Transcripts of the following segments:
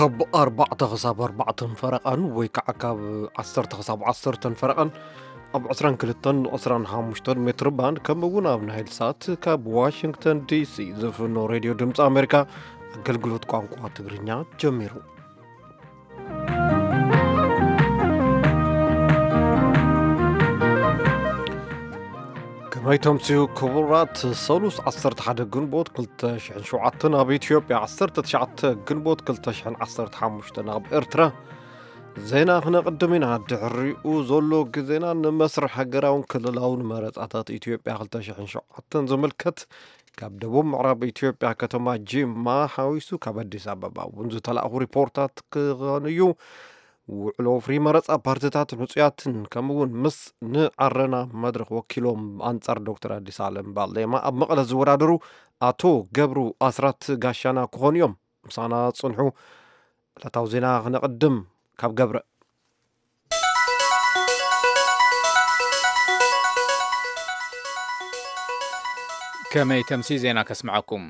ካብ ኣርባዕተ ክሳብ ኣርባዕተን ፈረቓን ወይ ከዓ ካብ ዓሰርተ ክሳብ ዓሰርተን ፈረቓን ኣብ ዕስራን ክልተን ዕስራን ሓሙሽተን ሜትር ባንድ፣ ከምኡ እውን ኣብ ናይል ሳት ካብ ዋሽንግተን ዲሲ ዝፍኖ ሬድዮ ድምፂ ኣሜሪካ ኣገልግሎት ቋንቋ ትግርኛ ጀሚሩ። ከመይ ተምስዩ ክቡራት፣ ሰሉስ ዓሰርተ ሓደ ግንቦት ክልተ ሽሕን ሸውዓተን፣ ኣብ ኢትዮጵያ ዓሰርተ ትሽዓተ ግንቦት ክልተ ሽሕን ዓሰርተ ሓሙሽተን ኣብ ኤርትራ። ዜና ክነቕድም ኢና። ድሕሪኡ ዘሎ ግዜና ንመስርሕ ሃገራውን ክልላውን መረጻታት ኢትዮጵያ ክልተ ሽሕን ሸውዓተን ዝምልከት ካብ ደቡብ ምዕራብ ኢትዮጵያ ከተማ ጂማ ሓዊሱ ካብ ኣዲስ ኣበባ እውን ዝተላእኹ ሪፖርታት ክኾን እዩ። ውዕሎ ወፍሪ መረጻ ፓርቲታትን ሕጹያትን ከምኡ እውን ምስ ንዓረና መድረኽ ወኪሎም ኣንጻር ዶክተር ኣዲስ ኣለም ባሌማ ኣብ መቐለ ዝወዳደሩ ኣቶ ገብሩ ኣስራት ጋሻና ክኾኑ እዮም። ምሳና ጽንሑ። ዕለታዊ ዜና ክነቕድም ካብ ገብረ። ከመይ ተምሲ ዜና ከስምዐኩም።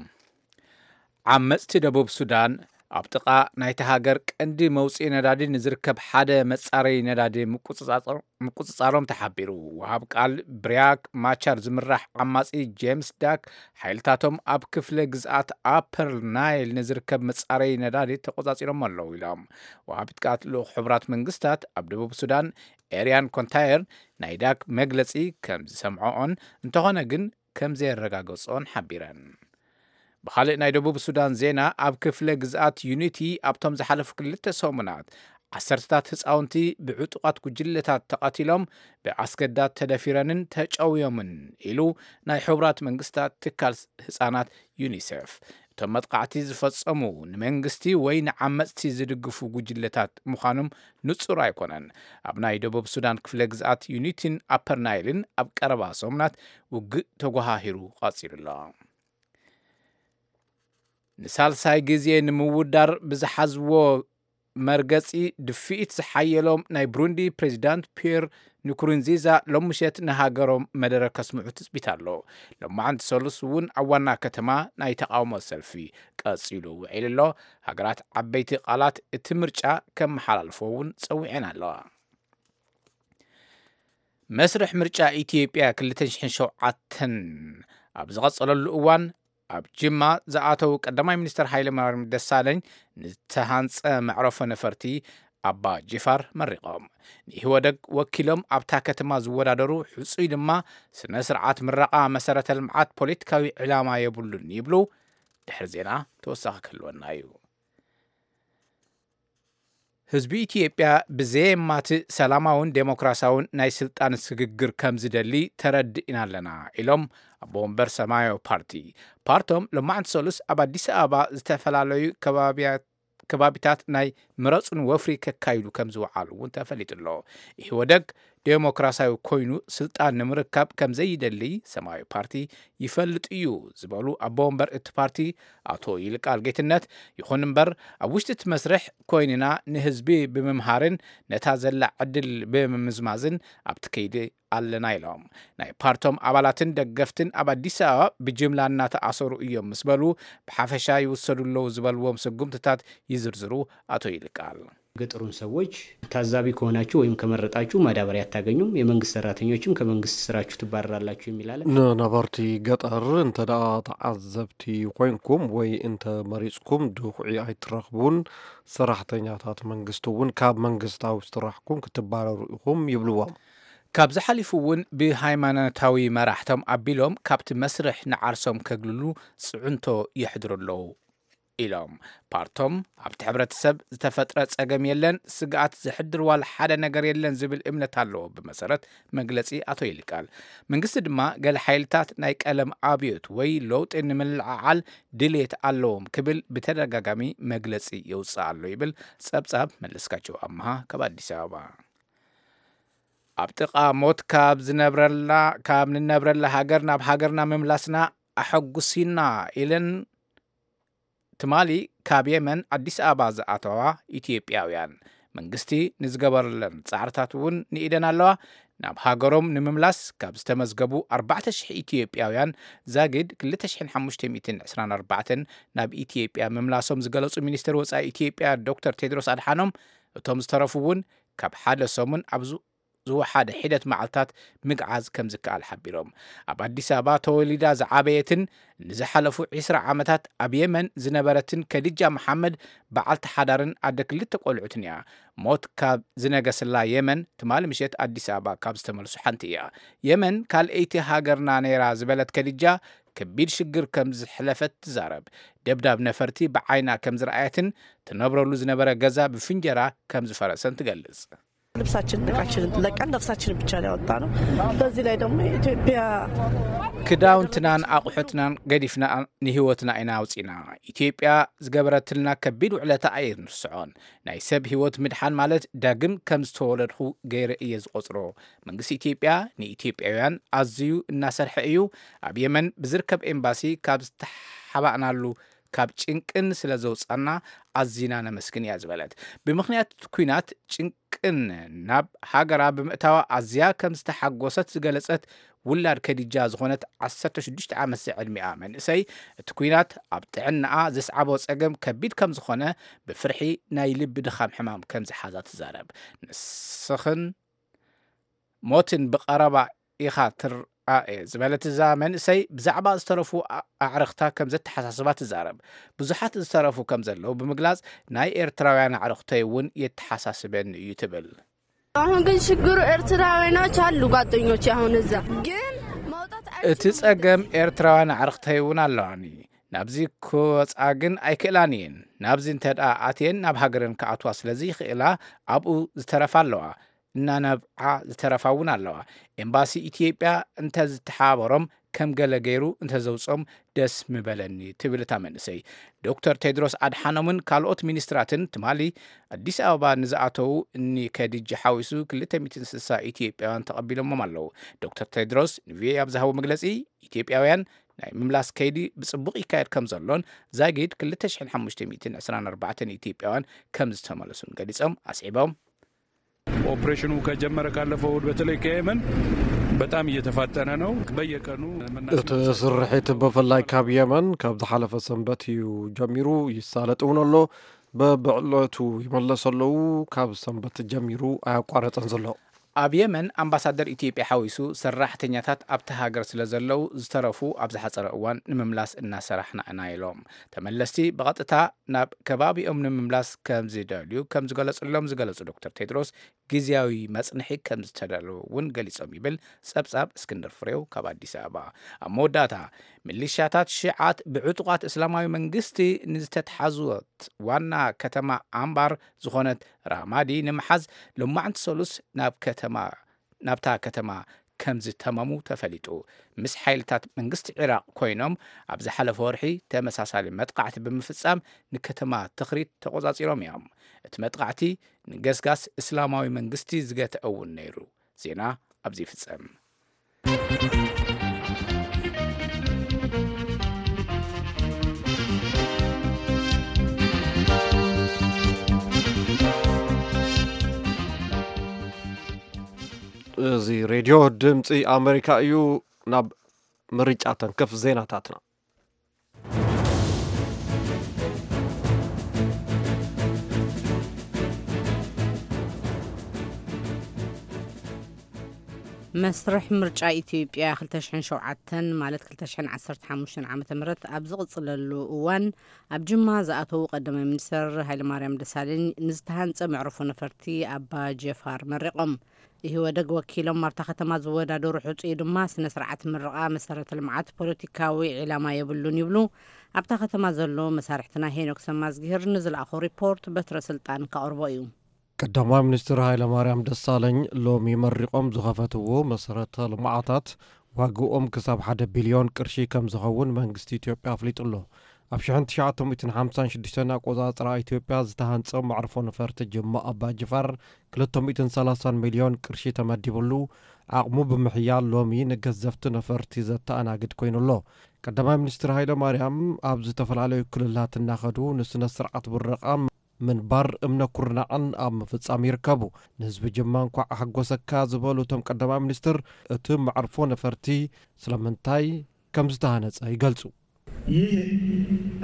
ዓመጽቲ ደቡብ ሱዳን ኣብ ጥቓ ናይታ ሃገር ቀንዲ መውጽኢ ነዳዲ ንዝርከብ ሓደ መጻረዪ ነዳዲ ምቁጽጻጾ-፣ ምቁጽጻሮም ተሓቢሩ። ወሃብ ቃል ብሪያክ ማቻር ዝምራሕ ዓማጺ ጄምስ ዳክ ሓይልታቶም ኣብ ክፍለ ግዝኣት ኣፐር ናይል ንዝርከብ መጻረዪ ነዳዲ ተቆጻጺሮም ኣለዉ ኢሎም። ወሃቢት ቃል ልኡኽ ሕቡራት መንግስታት ኣብ ደቡብ ሱዳን ኤርያን ኮንታየር ናይ ዳክ መግለጺ ከም ዝሰምዖኦን እንተኾነ ግን ከም ዘየረጋገጾን ሓቢረን። ብኻልእ ናይ ደቡብ ሱዳን ዜና፣ ኣብ ክፍለ ግዝኣት ዩኒቲ ኣብቶም ዝሓለፉ ክልተ ሰሙናት ዓሰርተታት ህፃውንቲ ብዕጡቓት ጉጅለታት ተቐቲሎም፣ ብኣስገዳድ ተደፊረንን ተጨውዮምን ኢሉ ናይ ሕቡራት መንግስታት ትካል ህፃናት ዩኒሴፍ። እቶም መጥቃዕቲ ዝፈጸሙ ንመንግስቲ ወይ ንዓመጽቲ ዝድግፉ ጉጅለታት ምዃኖም ንጹር ኣይኮነን። ኣብ ናይ ደቡብ ሱዳን ክፍለ ግዝኣት ዩኒቲን ኣፐር ናይልን ኣብ ቀረባ ሰሙናት ውግእ ተጓሃሂሩ ቀጺሉ ኣሎ። ንሳልሳይ ግዜ ንምውዳር ብዝሓዝዎ መርገጺ ድፍኢት ዝሓየሎም ናይ ብሩንዲ ፕሬዚዳንት ፒየር ንኩሩንዚዛ ሎም ምሸት ንሃገሮም መደረ ከስምዑ ትጽቢት ኣሎ። ሎማዓንቲ ሰሉስ እውን ኣብ ዋና ከተማ ናይ ተቓውሞ ሰልፊ ቀጺሉ ውዒሉ ኣሎ። ሃገራት ዓበይቲ ቃላት እቲ ምርጫ ከመሓላልፎ እውን ጸዊዐን ኣለዋ። መስርሕ ምርጫ ኢትዮጵያ ክልተ ሽሕን ሸውዓተን ኣብ ዝቐጸለሉ እዋን፣ ኣብ ጅማ ዝኣተው ቀዳማይ ሚኒስትር ሃይለማርያም ደሳለኝ ንዝተሃንጸ መዕረፎ ነፈርቲ ኣባ ጅፋር መሪቖም። ንኢህወደግ ወኪሎም ኣብታ ከተማ ዝወዳደሩ ሕጹይ ድማ ስነ ስርዓት ምረቓ መሰረተ ልምዓት ፖለቲካዊ ዕላማ የብሉን ይብሉ። ድሕሪ ዜና ተወሳኺ ክህልወና እዩ። ህዝቢ ኢትዮጵያ ብዘየማትእ ሰላማውን ዴሞክራሲያውን ናይ ስልጣን ስግግር ከም ዝደሊ ተረዲእና ኣለና ኢሎም ኣቦ ወንበር ሰማያዊ ፓርቲ። ፓርቶም ሎማዕንቲ ሰሉስ ኣብ ኣዲስ ኣበባ ዝተፈላለዩ ከባብያ-፣ ከባቢታት ናይ ምረፁን ወፍሪ ከካይዱ ከም ዝወዓሉ እውን ተፈሊጡ ኣሎ። ኢህወደግ ዴሞክራሲያዊ ኮይኑ ስልጣን ንምርካብ ከም ዘይደሊ ሰማያዊ ፓርቲ ይፈልጥ እዩ ዝበሉ ኣቦ ወንበር እቲ ፓርቲ ኣቶ ይልቃል ጌትነት፣ ይኹን እምበር ኣብ ውሽጢ እቲ መስርሕ ኮይንና ንህዝቢ ብምምሃርን ነታ ዘላ ዕድል ብምምዝማዝን ኣብቲ ከይዲ ኣለና ኢሎም። ናይ ፓርቶም ኣባላትን ደገፍትን ኣብ ኣዲስ ኣበባ ብጅምላ እናተኣሰሩ እዮም ምስ በሉ፣ ብሓፈሻ ይውሰዱ ኣለዉ ዝበልዎም ስጉምትታት ይዝርዝሩ ኣቶ ይልቃል። ገጠሩን ሰዎች ታዛቢ ከሆናችሁ ወይም ከመረጣችሁ ማዳበሪያ አታገኙም፣ የመንግስት ሰራተኞችም ከመንግስት ስራችሁ ትባረራላችሁ የሚል አለ። ንነበርቲ ገጠር እንተ ደኣ ተዓዘብቲ ኮይንኩም ወይ እንተ መሪጽኩም ድኹዒ ኣይትረኽቡን፣ ሰራሕተኛታት መንግስቲ እውን ካብ መንግስታዊ ስራሕኩም ክትባረሩ ኢኹም ይብልዎም። ካብዚ ሓሊፉ እውን ብሃይማኖታዊ መራሕቶም ኣቢሎም ካብቲ መስርሕ ንዓርሶም ከግልሉ ጽዕንቶ የሕድሩ ኣለዉ ኢሎም። ፓርቶም ኣብቲ ሕብረተሰብ ዝተፈጥረ ጸገም የለን፣ ስግኣት ዘሕድር ዋላ ሓደ ነገር የለን ዝብል እምነት ኣለዎ። ብመሰረት መግለጺ ኣቶ ይልቃል፣ መንግስቲ ድማ ገለ ሓይልታት ናይ ቀለም ኣብዮት ወይ ለውጢ ንምልዕዓል ድሌት ኣለዎም ክብል ብተደጋጋሚ መግለጺ የውጽእ ኣሎ ይብል ጸብጻብ መለስካቸው ኣምሃ ካብ ኣዲስ ኣበባ። ኣብ ጥቓ ሞት ካብ ዝነብረላ፣ ካብ ንነብረላ ሃገር ናብ ሃገርና ምምላስና ኣሐጉሲና ኢለን ትማሊ ካብ የመን ኣዲስ ኣበባ ዝኣተዋ ኢትዮጵያውያን መንግስቲ ንዝገበረለን ጻዕርታት እውን ንኢደን ኣለዋ። ናብ ሃገሮም ንምምላስ ካብ ዝተመዝገቡ ኣርባዕተ ሽሕ ኢትዮጵያውያን ዛጊድ ክልተ ሽሕን ሓሙሽተ ሚእትን ዕስራን ኣርባዕተን ናብ ኢትዮጵያ ምምላሶም ዝገለጹ ሚኒስትር ወጻኢ ኢትዮጵያ ዶክተር ቴድሮስ ኣድሓኖም፣ እቶም ዝተረፉ እውን ካብ ሓደ ሰሙን ኣብ ዝ- ዝወሓደ ሒደት መዓልታት ምግዓዝ ከም ዝከኣል ሓቢሮም። ኣብ ኣዲስ ኣበባ ተወሊዳ ዝዓበየትን ንዝሓለፉ ዕስራ ዓመታት ኣብ የመን ዝነበረትን ከዲጃ መሓመድ፣ በዓልቲ ሓዳርን ኣደ ክልተ ቆልዑትን እያ። ሞት ካብ ዝነገሰላ የመን ትማሊ ምሸት ኣዲስ ኣበባ ካብ ዝተመልሱ ሓንቲ እያ። የመን ካልኣይቲ ሃገርና ነይራ ዝበለት ከዲጃ፣ ከቢድ ሽግር ከም ዝሕለፈት ትዛረብ። ደብዳብ ነፈርቲ ብዓይና ከም ዝረኣየትን ትነብረሉ ዝነበረ ገዛ ብፍንጀራ ከም ዝፈረሰን ትገልጽ። ልብሳችን እቃችንን ለቀን ነፍሳችንን ብቻ ነው ያወጣነው። በዚህ ላይ ደግሞ የኢትዮጵያ ክዳውንትናን ኣቑሑትናን ገዲፍና ንህይወትና ኢና ኣውፂና። ኢትዮጵያ ዝገበረትልና ከቢድ ውዕለታ ኣይንርስዖን። ናይ ሰብ ህይወት ምድሓን ማለት ዳግም ከም ዝተወለድኹ ገይረ እየ ዝቆፅሮ። መንግስቲ ኢትዮጵያ ንኢትዮጵያውያን ኣዝዩ እናሰርሐ እዩ። ኣብ የመን ብዝርከብ ኤምባሲ ካብ ዝተሓባእናሉ ካብ ጭንቅን ስለ ዘውፃና ኣዚና ነመስግን እያ ዝበለት። ብምኽንያት ኩናት ጭንቅን ናብ ሃገራ ብምእታዋ ኣዝያ ከም ዝተሓጎሰት ዝገለጸት ውላድ ከዲጃ ዝኾነት ዓሰርተ ሽዱሽተ ዓመት ዝዕድሚኣ መንእሰይ፣ እቲ ኩናት ኣብ ጥዕናኣ ዘስዓቦ ጸገም ከቢድ ከም ዝኾነ፣ ብፍርሒ ናይ ልቢ ድኻም ሕማም ከም ዝሓዛ ትዛረብ። ንስኽን ሞትን ብቐረባ ኢኻ ትረኣየ ዝበለት እዛ መንእሰይ፣ ብዛዕባ ዝተረፉ ኣዕርኽታ ከም ዘተሓሳስባ ትዛረብ። ብዙሓት ዝተረፉ ከም ዘለዉ ብምግላጽ፣ ናይ ኤርትራውያን ኣዕርኽተይ እውን የተሓሳስበኒ እዩ ትብል። አሁን ግን ችግሩ ኤርትራውያኖች አሉ ጓደኞች አሁን እዛ ግን እቲ ጸገም ኤርትራውያን ኣዕርኽተይ እውን ኣለዋኒ። ናብዚ ክወጻ ግን ኣይክእላን እየን። ናብዚ እንተ ደኣ ኣትየን ናብ ሃገረን ክኣትዋ ስለ ዘይኽእላ ኣብኡ ዝተረፋ ኣለዋ። እናነብዓ ዝተረፋ እውን ኣለዋ። ኤምባሲ ኢትዮጵያ እንተዝተሓባበሮም ከም ገለ ገይሩ እንተዘውጾም ደስ ምበለኒ ትብል እታ መንእሰይ። ዶክተር ቴድሮስ ኣድሓኖምን ካልኦት ሚኒስትራትን ትማሊ ኣዲስ ኣበባ ንዝኣተዉ እኒ ከዲጂ ሓዊሱ ክልተ ሚእትን ስሳ ኢትዮጵያውያን ተቐቢሎሞም ኣለዉ። ዶክተር ቴድሮስ ንቪኦኤ ኣብ ዝሃቦ መግለጺ፣ ኢትዮጵያውያን ናይ ምምላስ ከይዲ ብጽቡቕ ይካየድ ከም ዘሎን ዛጊድ ክልተ ሽሕን ሓሙሽተ ሚእትን ዕስራን ኣርባዕተን ኢትዮጵያውያን ከም ዝተመለሱን ገሊጾም። ኣስዒቦም ኦፕሬሽኑ ከጀመረ ካለፈው እሁድ በተለይ ከየመን በጣም እየተፋጠነ ነው። በየቀኑ እቲ ስርሒት ብፍላይ ካብ የመን ካብ ዝሓለፈ ሰንበት እዩ ጀሚሩ፣ ይሳለጥ እውን ኣሎ። በብዕለቱ ይመለሱ ኣለዉ። ካብ ሰንበት ጀሚሩ ኣያቋረጸን ዘሎ። ኣብ የመን ኣምባሳደር ኢትዮጵያ ሓዊሱ ሰራሕተኛታት ኣብቲ ሃገር ስለ ዘለዉ ዝተረፉ ኣብ ዝሓጸረ እዋን ንምምላስ እናሰራሕና ኢና ኢሎም። ተመለስቲ ብቐጥታ ናብ ከባቢኦም ንምምላስ ከም ዝደልዩ ከም ዝገለጹሎም ዝገለጹ ዶክተር ቴድሮስ፣ ግዝያዊ መጽንሒ ከም ዝተዳለወ እውን ገሊጾም ይብል ጸብጻብ እስክንድር ፍሬው ካብ ኣዲስ ኣበባ። ኣብ መወዳእታ፣ ሚሊሻታት ሽዓት ብዕጡቓት እስላማዊ መንግስቲ ንዝተትሓዙት ዋና ከተማ ኣምባር ዝኾነት ራማዲ ንምሓዝ ሎማዕንቲ ሰሉስ ናብ ከተማ ናብታ ከተማ ከም ዝተመሙ ተፈሊጡ። ምስ ሓይልታት መንግስቲ ዒራቕ ኮይኖም ኣብ ዝሓለፈ ወርሒ ተመሳሳሊ መጥቃዕቲ ብምፍጻም ንከተማ ትኽሪት ተቖጻጺሮም እዮም። እቲ መጥቃዕቲ ንገስጋስ እስላማዊ መንግስቲ ዝገትአ እውን ነይሩ። ዜና ኣብዚ ይፍጸም። እዚ ሬድዮ ድምፂ ኣሜሪካ እዩ። ናብ ምርጫ ተንክፍ ዜናታትና። መስርሕ ምርጫ ኢትዮጵያ ክልተ ሽሕን ሸውዓተን ማለት ክልተ ሽሕን ዓሰርተ ሓሙሽተን ዓመተ ምህረት ኣብ ዝቕጽለሉ እዋን፣ ኣብ ጅማ ዝኣተዉ ቀዳማይ ሚኒስተር ሃይለማርያም ደሳለኝ ንዝተሃንጸ መዕርፎ ነፈርቲ ኣባ ጀፋር መሪቖም። ኢህወደግ ወኪሎም ኣብታ ከተማ ዝወዳደሩ ሕጹይ ድማ ስነ ስርዓት ምርቓ መሰረተ ልምዓት ፖለቲካዊ ዒላማ የብሉን ይብሉ ኣብታ ከተማ ዘሎ መሳርሕትና። ሄኖክ ሰማዝግሄር ንዝለኣኾ ሪፖርት በትረ ስልጣን ከቕርቦ እዩ። ቀዳማይ ሚኒስትር ሃይለማርያም ደሳለኝ ሎሚ መሪቖም ዝኸፈትዎ መሰረተ ልምዓታት ዋግኦም ክሳብ ሓደ ቢልዮን ቅርሺ ከም ዝኸውን መንግስቲ ኢትዮጵያ ኣፍሊጡ ኣሎ። ኣብ ሽሕን ትሽዓተ ሚእትን ሓምሳን ሽዱሽተን ኣቆጻጽራ ኢትዮጵያ ዝተሃንጸ መዕርፎ ነፈርቲ ጅማ ኣባ ጅፋር ክልተ ሚእትን ሰላሳን ሚልዮን ቅርሺ ተመዲብሉ ዓቕሙ ብምሕያል ሎሚ ንገዘፍቲ ነፈርቲ ዘተኣናግድ ኮይኑ ኣሎ። ቀዳማይ ሚኒስትር ሃይለ ማርያም ኣብ ዝተፈላለዩ ክልላት እናኸዱ ንስነ ስርዓት ምረቓ ምንባር እምነ ኩርናዕን ኣብ ምፍጻም ይርከቡ። ንህዝቢ ጅማ እንኳዕ ኣሐጎሰካ ዝበሉ እቶም ቀዳማይ ሚኒስትር፣ እቲ መዕርፎ ነፈርቲ ስለምንታይ ከም ዝተሃነጸ ይገልጹ። ይህ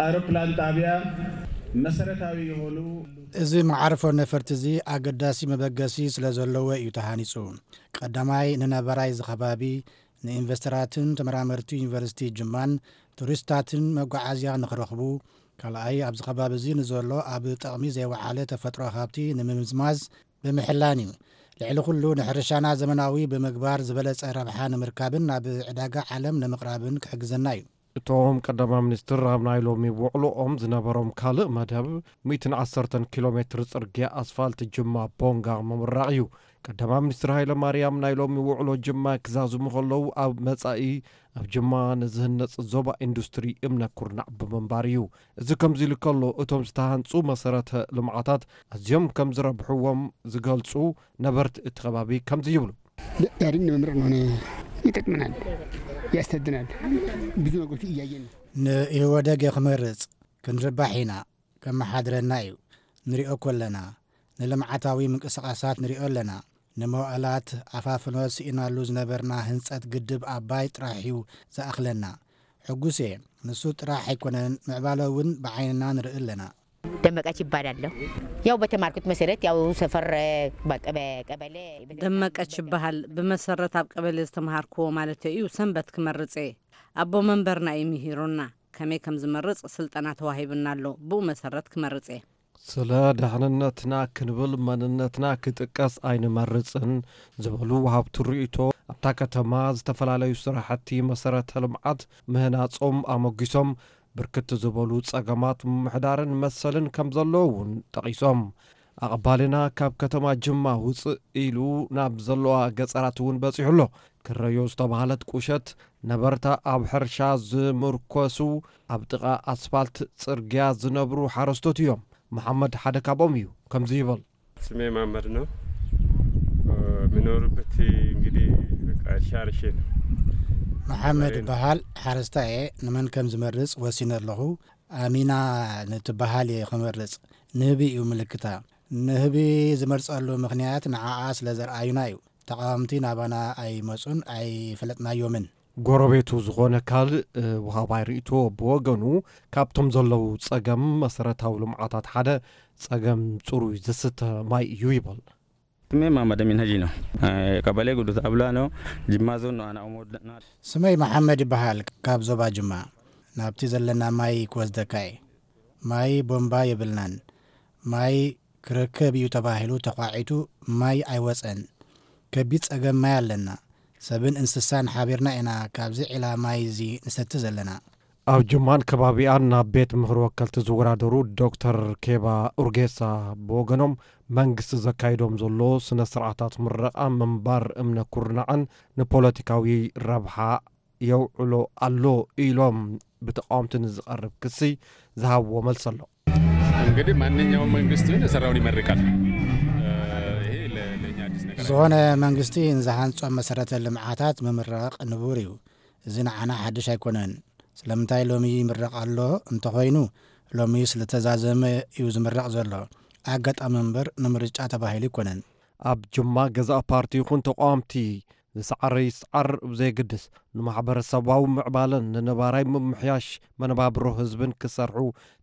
አውሮፕላን ጣቢያ መሰረታዊ የሆኑ እዚ መዓርፎ ነፈርቲ እዚ ኣገዳሲ መበገሲ ስለ ዘለዎ እዩ ተሃኒጹ። ቀዳማይ ንነባራይ እዚ ከባቢ፣ ንኢንቨስተራትን ተመራመርቲ ዩኒቨርሲቲ ጅማን ቱሪስታትን መጓዓዝያ ንኽረኽቡ፣ ካልኣይ ኣብዚ ከባቢ እዚ ንዘሎ ኣብ ጥቕሚ ዘይወዓለ ተፈጥሮ ሃብቲ ንምምዝማዝ ብምሕላን እዩ። ልዕሊ ኩሉ ንሕርሻና ዘመናዊ ብምግባር ዝበለጸ ረብሓ ንምርካብን ናብ ዕዳጋ ዓለም ንምቕራብን ክሕግዘና እዩ። እቶም ቀዳማይ ሚኒስትር ኣብ ናይ ሎሚ ውዕሎኦም ዝነበሮም ካልእ መደብ ሚእትን ዓሰርተን ኪሎ ሜትር ጽርግያ ኣስፋልት ጅማ ቦንጋ ምምራቕ እዩ። ቀዳማይ ሚኒስትር ሃይለ ማርያም ናይ ሎሚ ውዕሎ ጅማ ክዛዝሙ ከለዉ ኣብ መጻኢ ኣብ ጅማ ንዝህነጽ ዞባ ኢንዱስትሪ እምነ ኩርናዕ ብምንባር እዩ። እዚ ከምዚ ኢሉ ከሎ እቶም ዝተሃንጹ መሰረተ ልምዓታት ኣዝዮም ከም ዝረብሕዎም ዝገልጹ ነበርቲ እቲ ከባቢ ከምዚ ይብሉ። ዳግም ንምምረጥ ሆነ ይጠቅመናል፣ ያስተድናል፣ ብዙ ነገሮች እያየን ነው። ንኢህወደግ ክመርጽ ክንርባሕ ኢና፣ ከመሓድረና እዩ። ንሪኦ እኮ ኣለና፣ ንልምዓታዊ ምንቅስቃሳት ንሪኦ ኣለና። ንመዋእላት ኣፋፍኖ ስኢናሉ ዝነበርና ህንጸት ግድብ ኣባይ ጥራሕ እዩ ዝኣኽለና። ሕጉስ እየ። ንሱ ጥራሕ ኣይኮነን፣ ምዕባለ እውን ብዓይንና ንርኢ ኣለና። ደመቀች ይባላለሁ። ያው በተማርኩት መሰረት ያው ሰፈር በቀበ- ቀበሌ ደመቀች ይበሃል። ብመሰረት ኣብ ቀበሌ ዝተምሃርክዎ ማለት እዩ። ሰንበት ክመርጽ እየ። ኣቦ መንበርና እዩ ምሂሩና። ከመይ ከም ዝመርጽ ስልጠና ተዋሂብና ኣሎ። ብኡ መሰረት ክመርጽ እየ። ስለ ደሕንነትና ክንብል መንነትና ክጥቀስ ኣይንመርጽን ዝበሉ ወሃብቲ ርእይቶ፣ ኣብታ ከተማ ዝተፈላለዩ ስራሕቲ መሰረተ ልምዓት ምህናጾም ኣሞጊሶም፣ ብርክት ዝበሉ ጸገማት ምምሕዳርን መሰልን ከም ዘለዉ እውን ጠቒሶም። ኣቐባልና ካብ ከተማ ጅማ ውጽእ ኢሉ ናብ ዘለዋ ገጸራት እውን በጺሑ ኣሎ። ክረዮ ዝተባህለት ቁሸት ነበርታ ኣብ ሕርሻ ዝምርኮሱ ኣብ ጥቓ ኣስፋልት ጽርግያ ዝነብሩ ሓረስቶት እዮም። መሓመድ ሓደ ካብኦም እዩ። ከምዚ ይብል። ስሜ መሐመድ ነው። የምኖርበት እንግዲህ በቃ እርሻ እርሼ ነው። መሓመድ ይበሃል። ሓረስታይ እየ። ንመን ከም ዝመርጽ ወሲነ ኣለኹ። ኣሚና ንትበሃል እየ ክመርጽ። ንህቢ እዩ ምልክታ። ንህቢ ዝመርጸሉ ምኽንያት ንዓኣ ስለ ዘርኣዩና እዩ። ተቓወምቲ ናባና ኣይመጹን፣ ኣይፈለጥናዮምን። ጎረቤቱ ዝኾነ ካልእ ወሃባይ ርእይቶ ብወገኑ፣ ካብቶም ዘለዉ ጸገም መሰረታዊ ልምዓታት ሓደ ጸገም ጽሩይ ዝስተ ማይ እዩ ይብል። ስሜ መሐመድ አሚን ሀጂ ነው። ቀበሌ ጉዱት አብላ ነው። ጅማ ዞን ነው። ኣና ኦሞ ስመይ መሓመድ ይበሃል። ካብ ዞባ ጅማ ናብቲ ዘለና ማይ ክወስደካ እየ። ማይ ቦምባ የብልናን። ማይ ክረከብ እዩ ተባሂሉ ተዃዒቱ ማይ ኣይወጸን። ከቢድ ጸገም ማይ ኣለና። ሰብን እንስሳን ሓቢርና ኢና ካብዚ ዒላ ማይ እዚ ንሰቲ ዘለና። ኣብ ጅማን ከባቢኣን ናብ ቤት ምኽሪ ወከልቲ ዝወዳደሩ ዶክተር ኬባ ኡርጌሳ ብወገኖም፣ መንግስቲ ዘካይዶም ዘሎ ስነ ስርዓታት ምረቓ ምንባር እምነ ኩርናዕን ንፖለቲካዊ ረብሓ የውዕሎ ኣሎ ኢሎም ብተቃወምቲ ንዝቐርብ ክሲ ዝሃብዎ መልሲ ኣሎ። እንግዲህ ማንኛውም መንግስት ቢሆን የሰራውን ይመርቃል። ይሄ ለእኛ አዲስ ነገር ዝኾነ መንግስቲ ንዝሃንጾም መሰረተ ልምዓታት ምምራቕ ንቡር እዩ። እዚ ንዓና ሓድሽ ኣይኮነን። ስለምንታይ ሎሚ ይምረቕ ኣሎ እንተኾይኑ፣ ሎሚ ስለተዛዘመ እዩ ዝምረቕ ዘሎ። ኣጋጣሚ እምበር ንምርጫ ተባሂሉ ኣይኮነን። ኣብ ጅማ ገዛእ ፓርቲ ይኹን ተቃወምቲ ዝሰዓረ ይስዓር ብዘየግድስ፣ ንማሕበረሰባዊ ምዕባለን ንነባራይ ምምሕያሽ መነባብሮ ህዝብን ክሰርሑ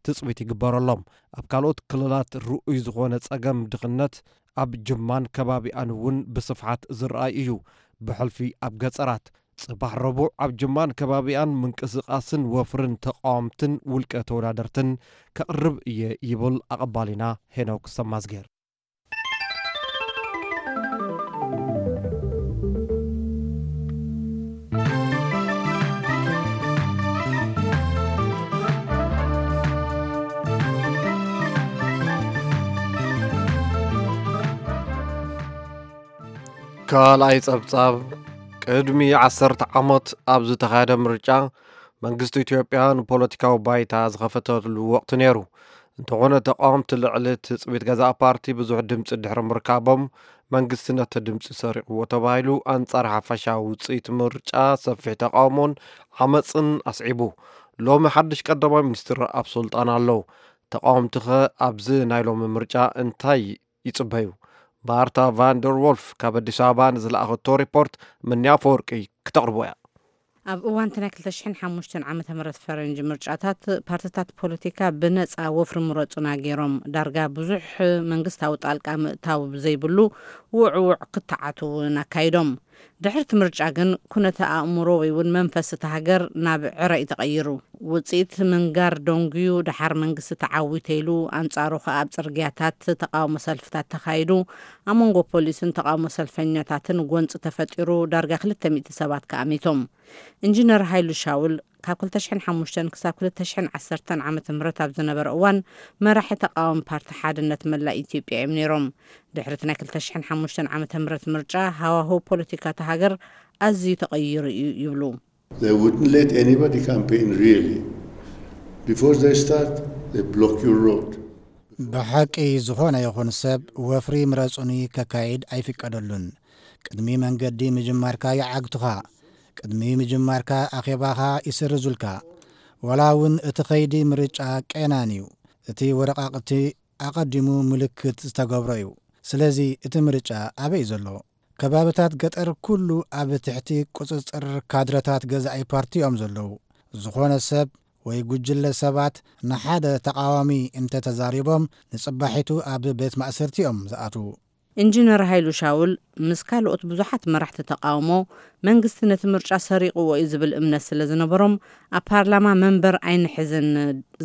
ትጽቢት ይግበረሎም። ኣብ ካልኦት ክልላት ርኡይ ዝኾነ ጸገም ድኽነት ኣብ ጅማን ከባቢኣን እውን ብስፍሓት ዝረኣይ እዩ። ብሕልፊ ኣብ ገጸራት። ጽባሕ ረቡዕ ኣብ ጅማን ከባቢኣን ምንቅስቓስን ወፍርን ተቃወምትን ውልቀ ተወዳደርትን ከቕርብ እየ ይብል ኣቐባሊና ሄኖክ ሰማዝጌር። ካልኣይ ጸብጻብ፣ ቅድሚ ዓሰርተ ዓመት ኣብ ዝተኻየደ ምርጫ፣ መንግስቲ ኢትዮጵያ ንፖለቲካዊ ባይታ ዝኸፈተሉ ወቕቲ ነይሩ። እንተኾነ፣ ተቓወምቲ ልዕሊ ትጽቢት ገዛእ ፓርቲ ብዙሕ ድምጺ ድሕሪ ምርካቦም፣ መንግስቲ ነቲ ድምጺ ሰሪቕዎ ተባሂሉ፣ ኣንጻር ሓፈሻዊ ውጽኢት ምርጫ ሰፊሕ ተቓውሞን ዓመጽን ኣስዒቡ። ሎሚ ሓድሽ ቀዳማይ ሚኒስትር ኣብ ስልጣን ኣለዉ። ተቃወምትኸ ኣብዚ ናይ ሎሚ ምርጫ እንታይ ይጽበዩ? ባርታ ቫንደር ዎልፍ ካብ ኣዲስ ኣበባ ንዝለኣኸቶ ሪፖርት ምንያ ኣፈወርቂ ክተቕርቦ እያ። ኣብ እዋን እቲ ናይ ክልተ ሽሕን ሓሙሽተን ዓመተ ምህረት ፈረንጂ ምርጫታት፣ ፓርትታት ፖለቲካ ብነጻ ወፍሪ ምረጹና ገይሮም፣ ዳርጋ ብዙሕ መንግስታዊ ጣልቃ ምእታው ብዘይብሉ ውዕውዕ ክትዓት እውን ኣካይዶም። ድሕርቲ ምርጫ ግን ኩነተ ኣእምሮ ወይ እውን መንፈስ እታ ሃገር ናብ ዕረ እዩ ተቐይሩ። ውጽኢት ምንጋር ደንጉዩ፣ ደሓር መንግስቲ ተዓዊተ ኢሉ፣ ኣንጻሩ ከኣ ኣብ ጽርግያታት ተቃውሞ ሰልፍታት ተኻይዱ። ኣብ መንጎ ፖሊስን ተቃውሞ ሰልፈኛታትን ጎንጺ ተፈጢሩ፣ ዳርጋ ክልተ ሚእቲ ሰባት ከኣ ሚቶም። ኢንጂነር ሃይሉ ሻውል ካብ ክልተ ሽሕን ሓሙሽተን ክሳብ ክልተ ሽሕን ዓሰርተን ዓመተ ምህረት ኣብ ዝነበረ እዋን መራሒ ተቃዋሚ ፓርቲ ሓድነት መላእ ኢትዮጵያ እዮም ነይሮም። ድሕሪ እቲ ናይ ክልተ ሽሕን ሓሙሽተን ዓመተ ምህረት ምርጫ ሃዋህው ፖለቲካ እታ ሃገር ኣዝዩ ተቐይሩ እዩ ይብሉ። They wouldn't let anybody campaign really. Before they start, they block your road. ብሓቂ ዝኾነ ይኹን ሰብ ወፍሪ ምረጹኒ ከካይድ ኣይፍቀደሉን። ቅድሚ መንገዲ ምጅማርካ ይዓግቱኻ። ቅድሚ ምጅማርካ ኣኼባኻ ይስርዙልካ። ዋላ እውን እቲ ኸይዲ ምርጫ ቀናን እዩ። እቲ ወረቓቕቲ ኣቐዲሙ ምልክት ዝተገብሮ እዩ። ስለዚ እቲ ምርጫ ኣበይ እዩ ዘሎ? ከባብታት ገጠር ኩሉ ኣብ ትሕቲ ቁጽጽር ካድረታት ገዛኢ ፓርቲ እዮም ዘለዉ። ዝኾነ ሰብ ወይ ጉጅለ ሰባት ንሓደ ተቓዋሚ እንተተዛሪቦም፣ ንጽባሒቱ ኣብ ቤት ማእሰርቲ እዮም ዝኣትዉ። ኢንጂነር ሃይሉ ሻውል ምስ ካልኦት ብዙሓት መራሕቲ ተቃውሞ፣ መንግስቲ ነቲ ምርጫ ሰሪቕዎ እዩ ዝብል እምነት ስለ ዝነበሮም፣ ኣብ ፓርላማ መንበር ኣይንሕዝን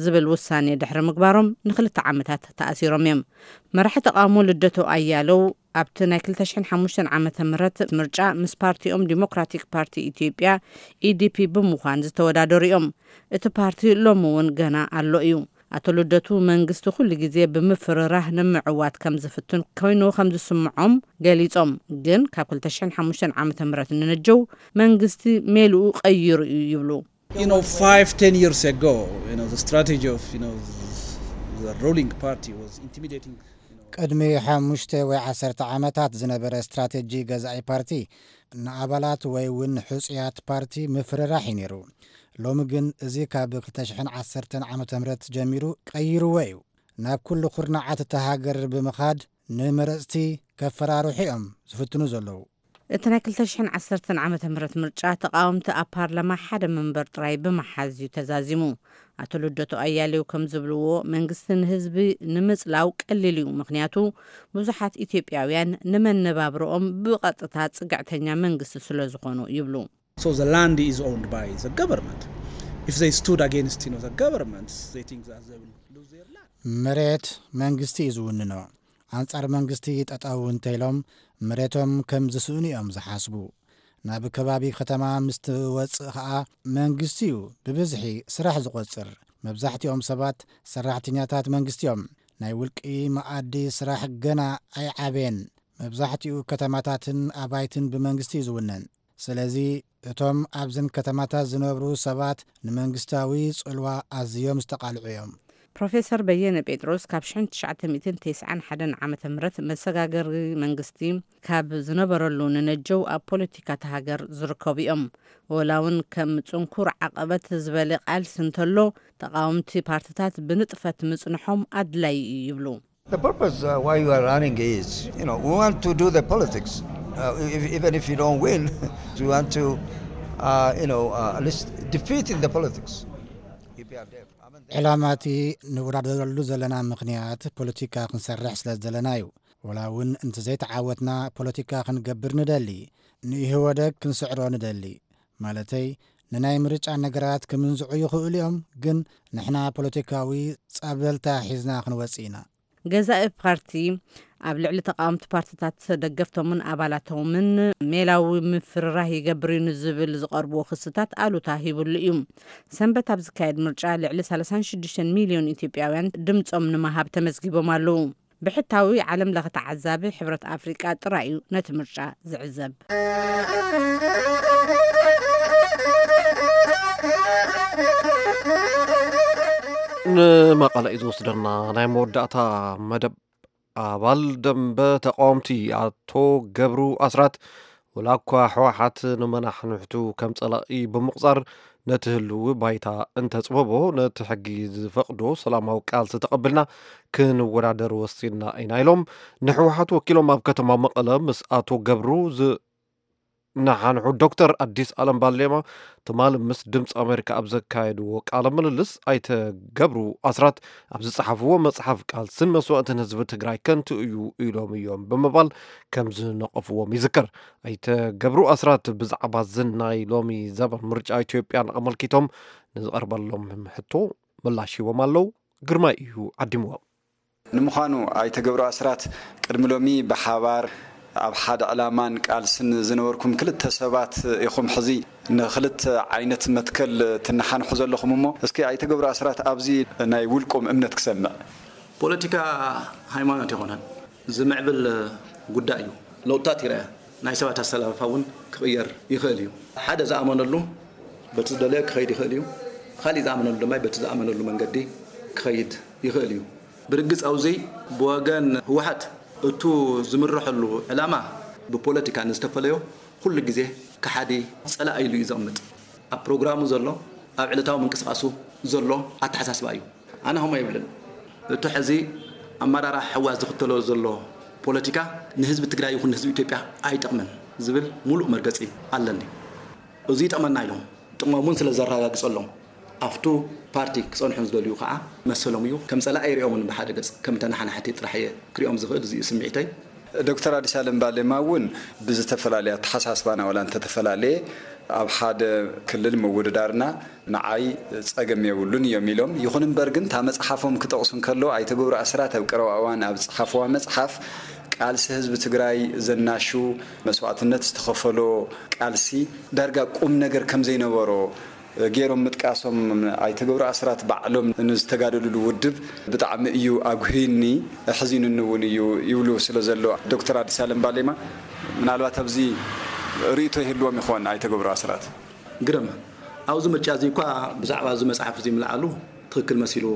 ዝብል ውሳኔ ድሕሪ ምግባሮም ንክልተ ዓመታት ተኣሲሮም እዮም። መራሒ ተቃውሞ ልደቱ ኣያለው ኣብቲ ናይ ክልተ ሽሕን ሓሙሽተን ዓመተ ምህረት ምርጫ ምስ ፓርቲኦም ዲሞክራቲክ ፓርቲ ኢትዮጵያ፣ ኢዲፒ፣ ብምዃን ዝተወዳደሩ እዮም። እቲ ፓርቲ ሎሚ እውን ገና ኣሎ እዩ። ኣቶ ልደቱ መንግስቲ ኩሉ ግዜ ብምፍርራህ ንምዕዋት ከም ዝፍትን ኮይኑ ከም ዝስምዖም ገሊጾም። ግን ካብ ክልተ ሽሕን ሓሙሽተን ዓመተ ምህረት ንነጀው መንግስቲ ሜልኡ ቀይሩ እዩ ይብሉ። You know, five, ten years ago, you know, the strategy of, you know, the ruling party was intimidating, you know. ቅድሚ ሓሙሽተ ወይ ዓሰርተ ዓመታት ዝነበረ ስትራቴጂ ገዛኢ ፓርቲ ንኣባላት ወይ እውን ሕጹያት ፓርቲ ምፍርራሕ እዩ ነይሩ። ሎሚ ግን እዚ ካብ ክልተ ሽሕን ዓሰርተን ዓመተ ምህረት ጀሚሩ ቀይርዎ እዩ። ናብ ኩሉ ኩርናዓት እታ ሃገር ብምኻድ ንመረጽቲ ከፈራርሑ እዮም ዝፍትኑ ዘለዉ። እቲ ናይ ክልተ ሽሕን ዓሰርተን ዓመተ ምህረት ምርጫ ተቃወምቲ ኣብ ፓርላማ ሓደ መንበር ጥራይ ብምሓዝ እዩ ተዛዚሙ። ኣቶ ልደቱ ኣያሌው ከም ዝብልዎ፣ መንግስቲ ንህዝቢ ንምጽላው ቀሊል እዩ። ምኽንያቱ ብዙሓት ኢትዮጵያውያን ንመነባብሮኦም ብቐጥታ ጽግዕተኛ መንግስቲ ስለ ዝኾኑ ይብሉ። So the land is owned by the government. If they stood against, you know, the government, they think that they will lose their land. መሬት መንግስቲ እዩ ዝውንኖ። ኣንጻር መንግስቲ ጠጠው እንተኢሎም መሬቶም ከም ዝስእኑ እዮም ዝሓስቡ። ናብ ከባቢ ከተማ ምስ ትወጽእ ኸኣ መንግስቲ እዩ ብብዝሒ ስራሕ ዝቖጽር። መብዛሕትኦም ሰባት ሰራሕተኛታት መንግስቲ እዮም። ናይ ውልቂ መኣዲ ስራሕ ገና ኣይዓበየን። መብዛሕትኡ ከተማታትን ኣባይትን ብመንግስቲ እዩ ዝውነን። ስለዚ እቶም ኣብዘን ከተማታት ዝነብሩ ሰባት ንመንግስታዊ ጽልዋ ኣዝዮም ዝተቓልዑ እዮም። ፕሮፌሰር በየነ ጴጥሮስ ካብ ሽሕን ትሽዓተ ሚእትን ተስዓን ሓደን ዓመተ ምህረት መሰጋገሪ መንግስቲ ካብ ዝነበረሉ ንነጀው ኣብ ፖለቲካ እታ ሃገር ዝርከቡ እዮም። ወላ እውን ከም ጽንኩር ዓቐበት ዝበለ ቃልሲ እንተሎ፣ ተቓወምቲ ፓርትታት ብንጥፈት ምጽንሖም ኣድላዪ እዩ ይብሉ። The purpose, uh, why you are running is, you know, we want to do the politics. Uh, if, even if you don't win, we want to, uh, you know, uh, at least defeat in the politics. E P R D F. ዕላማ እቲ ንወዳደረሉ ዘለና ምኽንያት ፖለቲካ ክንሰርሕ ስለ ዝደለና እዩ። ወላ እውን እንተዘይተዓወትና ፖለቲካ ክንገብር ንደሊ፣ ንኢህወደግ ክንስዕሮ ንደሊ። ማለተይ ንናይ ምርጫ ነገራት ክምንዝዑ ይኽእሉ እዮም፣ ግን ንሕና ፖለቲካዊ ጸብለልታ ሒዝና ክንወጽእ ኢና። ገዛኢ ፓርቲ ኣብ ልዕሊ ተቃወምቲ ፓርትታት ደገፍቶምን ኣባላቶምን ሜላዊ ምፍርራህ ይገብር እዩ ንዝብል ዝቐርብዎ ክስታት ኣሉታ ሂብሉ እዩ። ሰንበት ኣብ ዝካየድ ምርጫ ልዕሊ ሰላሳን ሽዱሽተን ሚልዮን ኢትዮጵያውያን ድምጾም ንምሃብ ተመዝጊቦም ኣለዉ። ብሕታዊ ዓለም ለኸ ተዓዛቢ ሕብረት ኣፍሪቃ ጥራይ እዩ ነቲ ምርጫ ዝዕዘብ። ንመቐለ እዩ ዝወስደና። ናይ መወዳእታ መደብ ኣባል ደንበ ተቃወምቲ ኣቶ ገብሩ ኣስራት፣ ወላ እኳ ህወሓት ንመናሕንሕቱ ከም ጸላኢ ብምቑጻር፣ ነቲ ህልዊ ባይታ እንተጽበቦ፣ ነቲ ሕጊ ዝፈቕዶ ሰላማዊ ቃልሲ ተቐብልና ክንወዳደር ወሲንና ኢና ኢሎም ንህወሓት ወኪሎም ኣብ ከተማ መቐለ ምስ ኣቶ ገብሩ ዝነሓንሑ ዶክተር ኣዲስ ኣለም ባሌማ ትማሊ ምስ ድምፂ ኣሜሪካ ኣብ ዘካየድዎ ቃለ ምልልስ ኣይተ ገብሩ ኣስራት ኣብ ዝጸሓፍዎ መጽሓፍ ቃልስን መስዋእትን ህዝቢ ትግራይ ከንቱ እዩ ኢሎም እዮም ብምባል ከም ዝነቐፍዎም ይዝከር። ኣይተ ገብሩ ኣስራት ብዛዕባ እዚ ናይ ሎሚ ዘበን ምርጫ ኢትዮጵያን ኣመልኪቶም ንዝቐርበሎም ሕቶ ምላሽ ሂቦም ኣለዉ። ግርማይ እዩ ዓዲምዎም። ንምዃኑ ኣይተ ገብሩ ኣስራት ቅድሚ ሎሚ ብሓባር ኣብ ሓደ ዕላማን ቃልስን ዝነበርኩም ክልተ ሰባት ኢኹም። ሕዚ ንክልተ ዓይነት መትከል ትነሓንሑ ዘለኹም እሞ፣ እስኪ ኣይተ ገብሩ ኣስራት ኣብዚ ናይ ውልቆም እምነት ክሰምዕ። ፖለቲካ ሃይማኖት ይኾነን ዝምዕብል ጉዳይ እዩ። ለውጥታት ይረአ፣ ናይ ሰባት ኣሰላልፋ እውን ክቕየር ይኽእል እዩ። ሓደ ዝኣመነሉ በቲ ዝደለዮ ክኸይድ ይኽእል እዩ። ካሊእ ዝኣመነሉ ድማ በቲ ዝኣመነሉ መንገዲ ክኸይድ ይኽእል እዩ። ብርግጽ ኣብዚ ብወገን ህወሓት እቱ ዝምርሐሉ ዕላማ ብፖለቲካ ንዝተፈለዮ ኩሉ ግዜ ከሓዲ ጸላኢ ኢሉ እዩ ዘቕምጥ። ኣብ ፕሮግራሙ ዘሎ፣ ኣብ ዕለታዊ ምንቅስቓሱ ዘሎ ኣተሓሳስባ እዩ። ኣነ ከምኡ ኣይብልን። እቱ ሕዚ ኣመራርሓ ህወሓት ዝኽተሎ ዘሎ ፖለቲካ ንህዝቢ ትግራይ ይኹን ንህዝቢ ኢትዮጵያ ኣይጠቕምን ዝብል ሙሉእ መርገጺ ኣለኒ። እዚ ይጠቕመና ኢሎም ጥቕሞም እውን ስለ ዘረጋግጸሎም ኣብቱ ፓርቲ ክጸንሑ ዝደልዩ ከዓ መሰሎም እዩ። ከም ጸላኢ ይሪኦምን ብሓደ ገጽ ከም ተነሓናሕቲ ጥራሕ እየ ክሪኦም ዝኽእል። እዚ እዩ ስምዒተይ። ዶክተር ኣዲስ ኣለም ባሌማ እውን ብዝተፈላለየ ኣተሓሳስባና ዋላ እንተተፈላለየ ኣብ ሓደ ክልል ምውድዳርና ንዓይ ጸገም የብሉን እዮም ኢሎም። ይኹን እምበር ግን እታ መጽሓፎም ክጠቕሱ እንከለዉ ኣይተ ገብሩ ኣስራት ኣብ ቀረባ እዋን ኣብ ዝጸሓፍዋ መጽሓፍ ቃልሲ ህዝቢ ትግራይ ዘናሹ መስዋእትነት ዝተኸፈሎ ቃልሲ ዳርጋ ቁም ነገር ከም ዘይነበሮ ገይሮም ምጥቃሶም ኣይተ ገብሩ ኣስራት ባዕሎም ንዝተጋደልሉ ውድብ ብጣዕሚ እዩ ኣጉህዩኒ፣ ኣሕዚኑኒ እውን እዩ ይብሉ ስለ ዘሎ ዶክተር ኣዲስ ኣለም ባሌማ ምናልባት ኣብዚ ርእይቶ ይህልዎም ይኾን ኣይተ ገብሩ ኣስራት? ግርም፣ ኣብዚ ምርጫ እዚ እኳ ብዛዕባ እዚ መጽሓፍ እዚ ምልዓሉ ትኽክል መሲሉ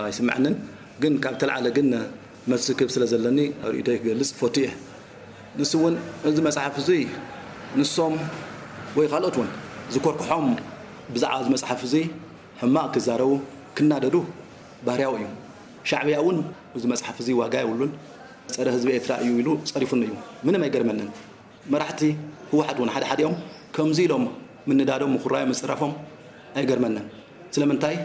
ኣይስምዐንን። ግን ካብ ተለዓለ ግን መልሲ ክህብ ስለ ዘለኒ ርእይቶይ ክገልጽ እፈቱ እየ። ንሱ እውን እዚ መጽሓፍ እዚ ንሶም ወይ ካልኦት እውን ዝኮርክሖም ብዛዕባ እዚ መጽሓፍ እዚ ሕማቕ ክዛረቡ ክናደዱ ባህርያዊ እዩ። ሻዕብያ እውን እዚ መጽሓፍ እዚ ዋጋ የብሉን፣ ጸረ ህዝቢ ኤርትራ እዩ ኢሉ ጸሪፉኒ እዩ። ምንም ኣይገርመንን። መራሕቲ ህወሓት እውን ሓደ ሓዲኦም ከምዚ ኢሎም ምንዳዶም፣ ምኹራዮም፣ ምጽራፎም ኣይገርመንን። ስለምንታይ?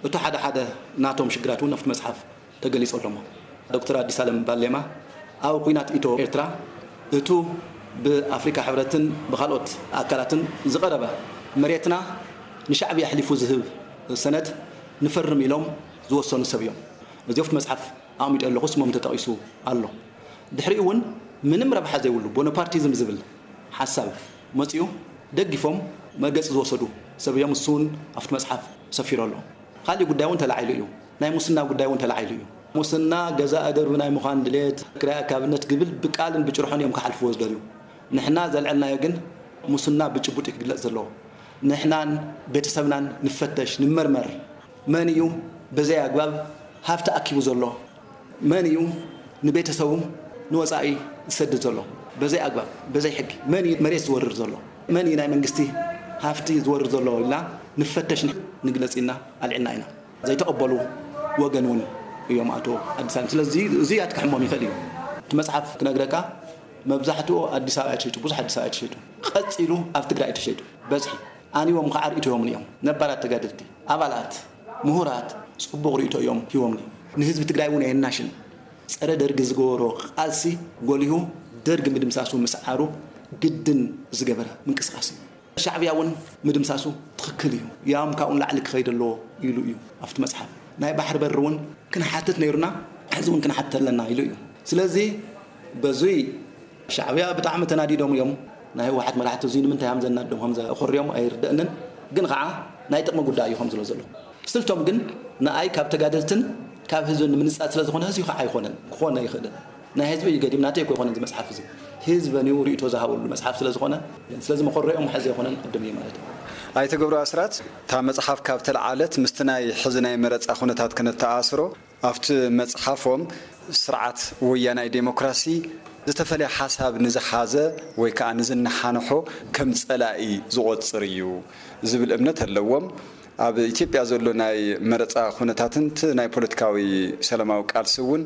እቱ ሓደ ሓደ ናቶም ሽግራት እውን ኣብቲ መጽሓፍ ተገሊጹ ኣሎ እሞ። ዶክተር ኣዲስ ኣለም ባሌማ ኣብ ኲናት ኢትዮ ኤርትራ እቱ ብኣፍሪካ ሕብረትን ብኻልኦት ኣካላትን ዝቐረበ መሬትና ንሻዕብያ ኣሕሊፉ ዝህብ ሰነድ ንፈርም ኢሎም ዝወሰኑ ሰብ እዮም። እዚ ኣብቲ መጽሓፍ ኣቕሚጠ ኣለኹ፣ ስሞም ተጠቒሱ ኣሎ። ድሕሪኡ እውን ምንም ረብሓ ዘይብሉ ቦነፓርቲዝም ዝብል ሓሳብ መፂኡ ደጊፎም መርገፂ ዝወሰዱ ሰብ እዮም። እሱ እውን ኣብቲ መፅሓፍ ሰፊሩ ኣሎ። ካሊእ ጉዳይ እውን ተላዒሉ እዩ። ናይ ሙስና ጉዳይ እውን ተላዒሉ እዩ። ሙስና ገዛኢ ደርቢ ናይ ምዃን ድሌት፣ ክራይ ኣካብነት ግብል ብቃልን ብጭርሖን እዮም ክሓልፍዎ ዝደልዩ። ንሕና ዘልዐልናዮ ግን ሙስና ብጭቡጥ እዩ ክግለፅ ዘለዎ። ንሕናን ቤተሰብናን ንፈተሽ፣ ንመርመር። መን እዩ በዘይ ኣግባብ ሃፍቲ ኣኪቡ ዘሎ? መን እዩ ንቤተሰቡ ንወፃኢ ዝሰድድ ዘሎ? በዘይ ኣግባብ፣ በዘይ ሕጊ መን እዩ መሬት ዝወርር ዘሎ? መን እዩ ናይ መንግስቲ ሃፍቲ ዝወርር ዘሎ ኢልና ንፈተሽ፣ ንግለፅ ኢልና ኣልዒልና ኢና። ዘይተቐበሉ ወገን እውን እዮም ኣቶ ኣዲስ ኣለም። ስለዚ እዚ ኣትክሕሞም ይኽእል እዩ። እቲ መፅሓፍ ክነግረካ መብዛሕትኡ ኣዲስ ኣበባ እዩ ተሸይጡ፣ ብዙሕ ኣዲስ ኣበባ እዩ ተሸይጡ። ቀፂሉ ኣብ ትግራይ እዩ ተሸይጡ። በዝሒ ኣንዎም ከዓ ርእይቶ ሂቦምኒ እዮም። ነባራት ተጋደልቲ፣ ኣባላት፣ ምሁራት ፅቡቕ ርእይቶ እዮም ሂቦምኒ። ንህዝቢ ትግራይ እውን ኣየናሽን። ፀረ ደርጊ ዝገበሮ ቃልሲ ጎሊሁ ደርጊ ምድምሳሱ ምስዓሩ ግድን ዝገበረ ምንቅስቃስ እዩ። ሻዕብያ እውን ምድምሳሱ ትኽክል እዩ። ያም ካብኡ ንላዕሊ ክኸይድ ኣለዎ ኢሉ እዩ ኣብቲ መፅሓፍ። ናይ ባሕሪ በሪ እውን ክንሓትት ነይሩና፣ ሕዚ እውን ክንሓትት ኣለና ኢሉ እዩ። ስለዚ በዙይ ሻዕብያ ብጣዕሚ ተናዲዶም እዮም። ናይ ህወሓት መራሕቲ እዙይ ንምንታይ ሃም ዘናድዶም፣ ሃም ዘኾርዮም ኣይርደእንን። ግን ከዓ ናይ ጥቕሚ ጉዳይ እዩ ከም ዝሎ ዘሎ። ስልቶም ግን ንኣይ ካብ ተጋደልትን ካብ ህዝብን ንምንጻል ስለ ዝኾነ ህዝቢ ከዓ ኣይኮነን፣ ክኾን ኣይኽእልን። ናይ ህዝቢ እዩ ገዲም፣ ናተይ እኮ ኣይኮነን እዚ መጽሓፍ እዚ። ህዝበን እዩ ርእይቶ ዝሃበሉ መጽሓፍ ስለ ዝኾነ፣ ስለዚ መኾረኦም ሕዚ ኣይኮነን፣ ቅድም እዩ ማለት እዩ። ኣይተ ገብሩ ኣስራት፣ እታ መጽሓፍ ካብ ተለዓለት ምስቲ ናይ ሕዚ ናይ መረጻ ኩነታት ክነተኣስሮ፣ ኣብቲ መጽሓፎም ስርዓት ወያናይ ዴሞክራሲ ዝተፈለየ ሓሳብ ንዝሓዘ ወይ ከዓ ንዝነሓንሖ ከም ጸላኢ ዝቖጽር እዩ ዝብል እምነት ኣለዎም። ኣብ ኢትዮጵያ ዘሎ ናይ መረጻ ኩነታትን እቲ ናይ ፖለቲካዊ ሰላማዊ ቃልሲ እውን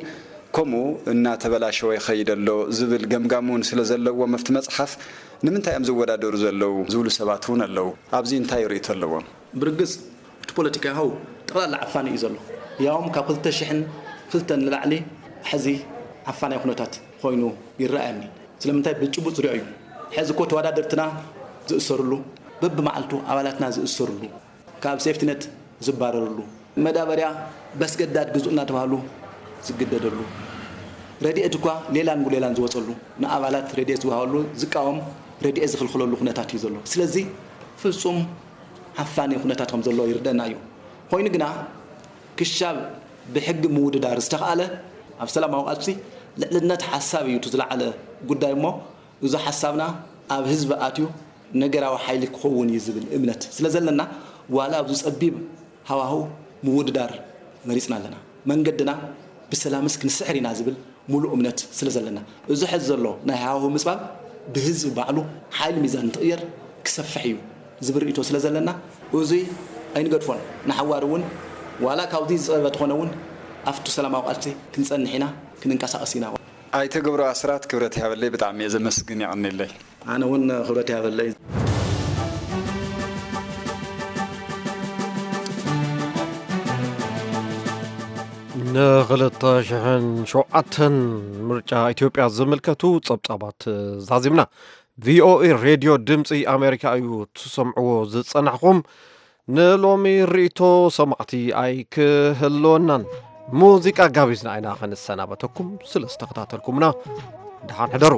ከምኡ እናተበላሸወ ይኸይድ ኣሎ ዝብል ገምጋም እውን ስለ ዘለዎም ኣብቲ መጽሓፍ ንምንታይ እዮም ዝወዳደሩ ዘለዉ ዝብሉ ሰባት እውን ኣለዉ። ኣብዚ እንታይ ርእይቶ ኣለዎም? ብርግጽ እቲ ፖለቲካዊ ሃው ጠቕላላ ዓፋኒ እዩ ዘሎ። ያውም ካብ ክልተ ሽሕን ክልተን ንላዕሊ ሕዚ ዓፋናይ ኩነታት ኮይኑ ይረኣየኒ። ስለምንታይ ብጭቡጥ ዝሪኦ እዩ። ሕዚ እኮ ተወዳደርትና ዝእሰርሉ፣ በብመዓልቱ ኣባላትና ዝእሰርሉ፣ ካብ ሴፍቲነት ዝባረርሉ፣ መዳበርያ በስገዳድ ግዙእ እናተባህሉ ዝግደደሉ፣ ረድኤት እኳ ሌላን ጉሌላን ዝወፀሉ፣ ንኣባላት ረድኤት ዝወሃበሉ ዝቃወም ረድኤት ዝኽልክለሉ ኩነታት እዩ ዘሎ። ስለዚ ፍጹም ዓፋኒ ኩነታት ከም ዘሎ ይርደና እዩ። ኮይኑ ግና ክሻብ ብሕጊ ምውድዳር ዝተኽኣለ ኣብ ሰላማዊ ቃልሲ ልዕልነት ሓሳብ እዩ እቲ ዝለዓለ ጉዳይ እሞ እዚ ሓሳብና ኣብ ህዝቢ ኣትዩ ነገራዊ ሓይሊ ክኸውን እዩ ዝብል እምነት ስለ ዘለና ዋላ ኣብዚ ጸቢብ ሃዋህው ምውድዳር መሪጽና ኣለና። መንገድና ብሰላምስ ክንስዕር ኢና ዝብል ሙሉእ እምነት ስለ ዘለና እዚ ሕዚ ዘሎ ናይ ሃዋህው ምጽባብ ብህዝቢ ባዕሉ ሓይሊ ሚዛን እንትቕየር ክሰፍሕ እዩ ዝብል ርእይቶ ስለ ዘለና እዙይ ኣይንገድፎን። ንሓዋር እውን ዋላ ካብዚ ዝጸበበ ተኾነ እውን ኣብቲ ሰላማዊ ቃልሲ ክንጸንሕ ኢና፣ ክንንቀሳቐስ ኢና። ኣይተ ገብሩ ኣስራት ክብረት ያበለይ ብጣዕሚ እየ ዘመስግን የቐንየለይ። ኣነ እውን ክብረት ያበለይ። ንኽልተ ሽሕን ሸውዓተን ምርጫ ኢትዮጵያ ዝምልከቱ ጸብጻባት ዛዚምና። ቪኦኤ ሬድዮ ድምፂ ኣሜሪካ እዩ ትሰምዕዎ ዝጸናሕኹም። ንሎሚ ርእይቶ ሰማዕቲ ኣይክህልወናን። ሙዚቃ ጋቢዝና ኢና ክንሰናበተኩም ስለ ዝተኸታተልኩምና። ደሓን ሕደሩ።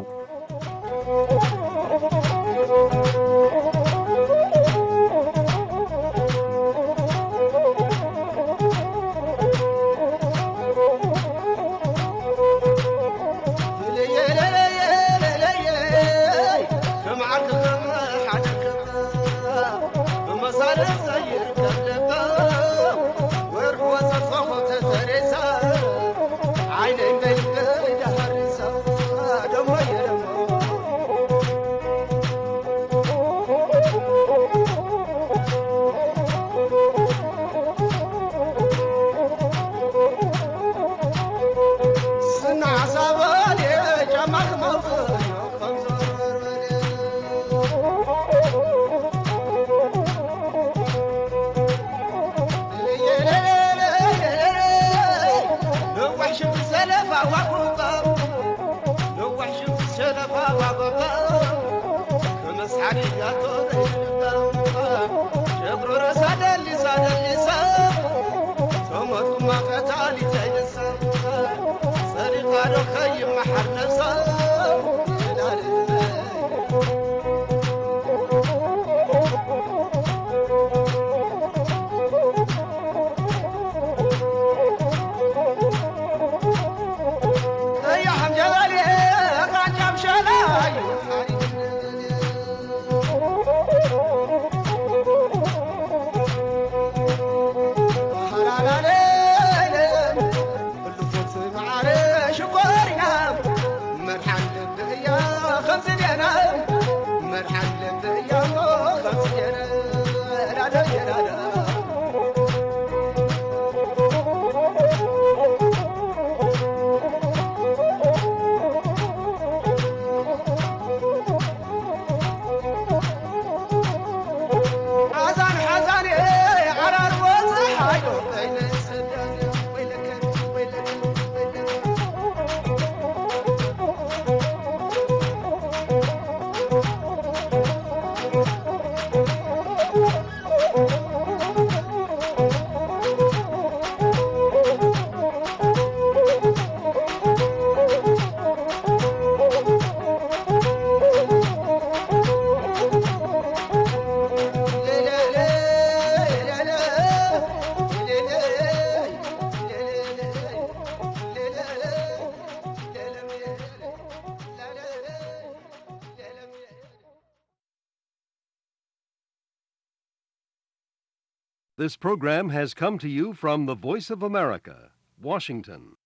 This program has come to you from the Voice of America, Washington.